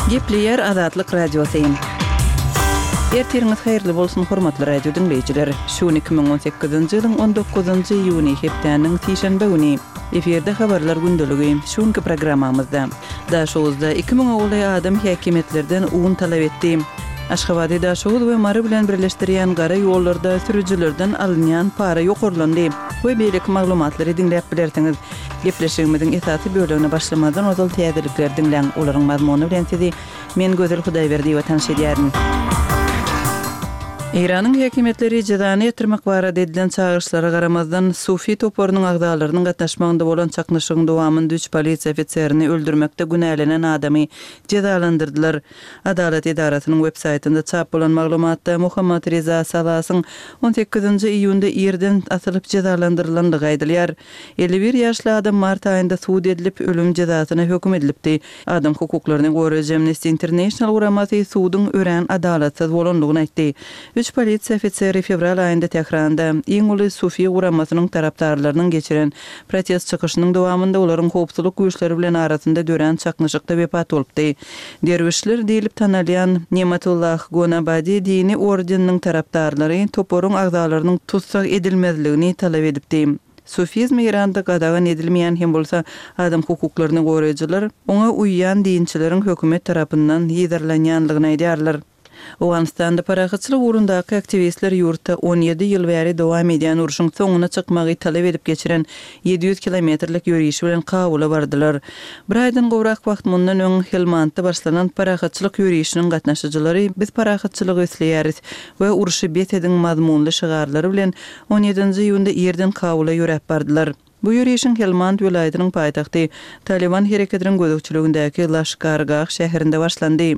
Gepleýär Azatlyk Radiosy. Ertiriňiz haýyrly bolsun, hormatly radio diňleýjiler! Şu gün 2018-nji ýylyň 19-njy iýuny, hepdäniň sişenbe güni. Efirde Habarlar gündeligi. Şu günki programmamyzda. Daşoguzda iki müňe golaý adam häkimiýetlerden un talap etdi. Aşgabady Daşoguz we Mary bilen birleşdirýän gara ýollarda sürüjilerden alynýan para ýokarlandy we beýleki maglumatlary diňläp bilersiňiz. Gepleşigimiziň esasy bölegine başlamazdan ozal täzelikleri diňläň, olaryň mazmuny bilen sizi men Gözel Hudaýberdiýewa tanyş edýärin. Eýranyň häkimiýetleri jezany ýatyrmak barada edilen çagyryşlara garamazdan, Sufi toparynyň agzalarynyň gatnaşmagynda bolan çaknyşygyň dowamynda üç polisiýa ofiserini öldürmekde günälenen adamy jezalandyrdylar. Adalat edarasynyň websaýtynda çap bolan maglumatda Mohammad Reza Salasyň on sekizinji iýunda irden asylyp jezalandyrylandygy aýdylýar. 51 ýaşly adam mart aýynda sud edilip, ölüm jezasyna höküm edilipdi. Adam hukuklaryny goraýjy Amnesty International guramasy suduň örän adalatsyz bolandygyny aýtdy. Üç polisiýa ofiseri fewral aýynda Tähranda iň uly sufi guramasynyň tarapdarlarynyň geçiren protest çykyşynyň dowamynda olaryň howpsuzlyk güýçleri bilen arasynda dörän çaknyşykda wepat bolupdy. Derwüşler diýlip tanalýan Nematullah Gonabadi dini ordeniniň tarapdarlary toparyň agzalarynyň tussag edilmezligini talap edipdi. Sufizm Eýranda gadagan edilmeýän hem bolsa, adam hukuklaryny goraýjylar oňa uýýan dinçileriň hökümet tarapyndan yzarlanýanlygyny aýdýarlar. Owganystanda parahatçylyk ugrundaky aktiwistler ýurtda 17 ýyl bäri dowam edýän urşuň soňuna çykmagy talap edip geçiren 700 kilometrlik ýörişi bilen Kabula bardylar. Bir aýdan gowrak wagt mundan öň Helmandda başlanan parahatçylyk ýörişiniň gatnaşyjylary Biz parahatçylygy isleýäris we Urşy bes ediň mazmunly şygarlary bilen on ýedinji iýunda irden Kabula ýöräp bardylar. Bu ýörişiň Helmand welaýatynyň paýtagty Talyban hereketiniň gözegçiligindäki Laşkargah şäherinde başlandy.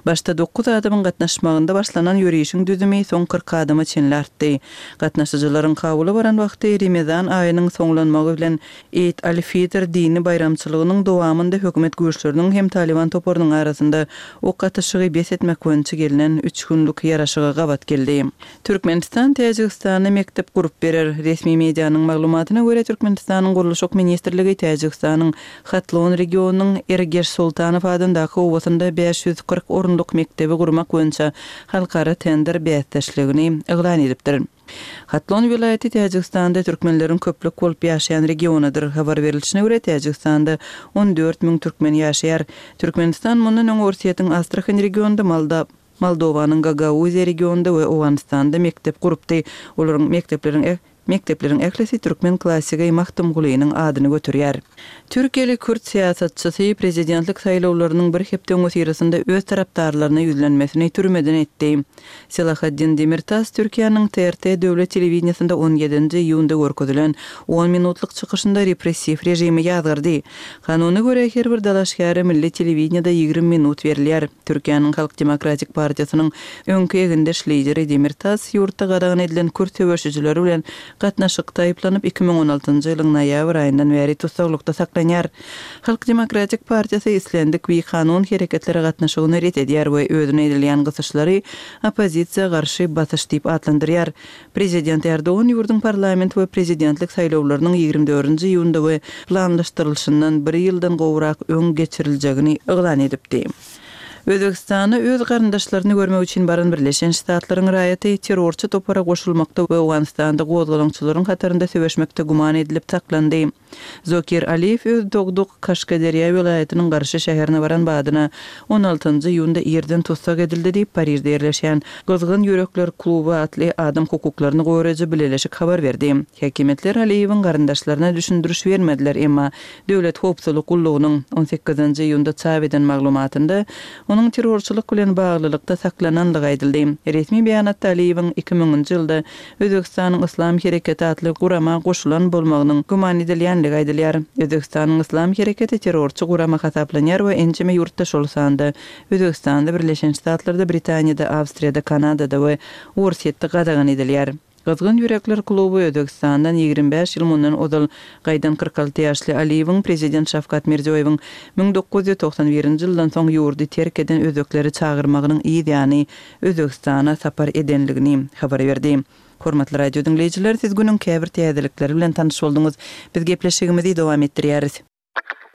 Başda dokuz adamyň gatnaşmagynda başlanan ýörişiň düzümi soň 40 adama çenli artdy. Gatnaşyjylaryň Kabula baran wagty Remezan aýynyň soňlanmagy bilen Eid al-Fitr dini baýramçylygynyň dowamynda hökümet güýçleriniň hem Talyban toparynyň arasynda ok atyşygy bes etmek boýunça gelnen üç günlük ýaraşyga gabat geldi. Türkmenistan Täjigistana mekdep gurup berer. Resmi medianyň maglumatyna görä, Türkmenistanyň Gurluşyk ministrligi Täjigistanyň Hatlon regionynyň Ergeş Sultanow adyndaky obasynda 540 orunlyk mekdebi gurmak boýunça halkara tender bäsdeşligini yglan edipdir. Hatlon welaýaty Täjigistanda türkmenleriň köplük bolup ýaşaýan regionydyr. Habar berilişine görä, Täjigistanda 14 müň türkmen ýaşaýar. Türkmenistan mundan öň Orsýetiň Astrahan regionynda Molda. Moldowanyň Gagauziýa regionynda we Owganystanda mekdep gurupdy. Olaryň mekdepleriň mekdepleriň ählisi türkmen klassigi Magtymgulynyň adyny göterýär. Türkiýeli kürt syýasatçysy prezidentlik saýlawlarynyň bir hepde öňüsyrasynda öz tarapdarlaryna ýüzlenmesini türmeden etdi. Selahaddin Demirtas Türkiýäniň TRT döwlet telewideniýesinde on ýedinji iýunda görkezilen on minutlyk çykyşynda repressiw režimi ýazgardy. Kanuna görä, her bir dalaşgäre milli telewideniýede 20 minut berilýär. Türkiýäniň Halk demokratik partiýasynyň öňki egindeş lideri Demirtas ýurtda gadagan edilen kürt söweşijileri bilen gatnaşykda aýyplanyp, 2016-njy ýylyň noýabr aýyndan bäri tussaglykda saklanýar. Halk demokratik partiýasy islendik bikanun hereketlere gatnaşygyny ret edýär we özüne edilýän gysyşlary oppozisiýa garşy basyş diýip atlandyrýar. Prezident Erdogan ýurduň parlament we prezidentlik saýlawlarynyň 24-nji iýunda we planlaşdyrylyşyndan bir ýyldan gowrak öň geçiriljegini yglan edipdi. Özbegistana öz garyndaşlaryny görmek üçin baran Birleşen Ştatlaryň raýaty terrorçy topara goşulmakda we Owganystanda gozgalaňçylaryň hatarynda söweşmekde güman edilip saklandy. Zokir Aliýew öz dogduk Kaşgaderýa welaýatynyň Garşy şäherine baran badyna on altynjy iýunda irden tussag edildi diýip, Parižde ýerleşýän Gyzgyn ýürekler kluby atly adam hukuklaryny goraýjy bileleşik habar berdi. Häkimiýetler Aliýewiň garyndaşlaryna düşündiriş bermediler, emma Döwlet howpsuzlyk gullugynyň on sekizinji iýunda çap eden maglumatynda onuň terrorçylyk bilen baglylykda saklanandygy aýdyldy. Resmi beýanatda Aliýewiň iki müňünji ýylda Özbegistanyň Yslam hereketi atly gurama goşulan bolmagynyň güman edilýändigi aýdylýar. Özbegistanyň Yslam hereketi terrorçy gurama hasaplanýar we ençeme ýurtda şol sanda Özbegistanda, Birleşen Ştatlarda, Britaniýada, Awstriýada, Kanadada we Orsýetde gadagan edilýär. Gyzgyn ýürekler kluby Özbegistandan 25 ýyl mundan ozal gaýdan 46 ýaşly Aliýewiň prezident Şawkat Mirziýoýewiň 1991-nji ýyldan soň ýurdy terk eden özbekleri çagyrmagynyň yz ýany Özbegistana sapar edenligini habar berdi. Hormatly radio diňleýjiler, siz günüň käbir täzelikleri bilen tanyş bolduňyz. Biz gepleşigimizi dowam etdirýäris.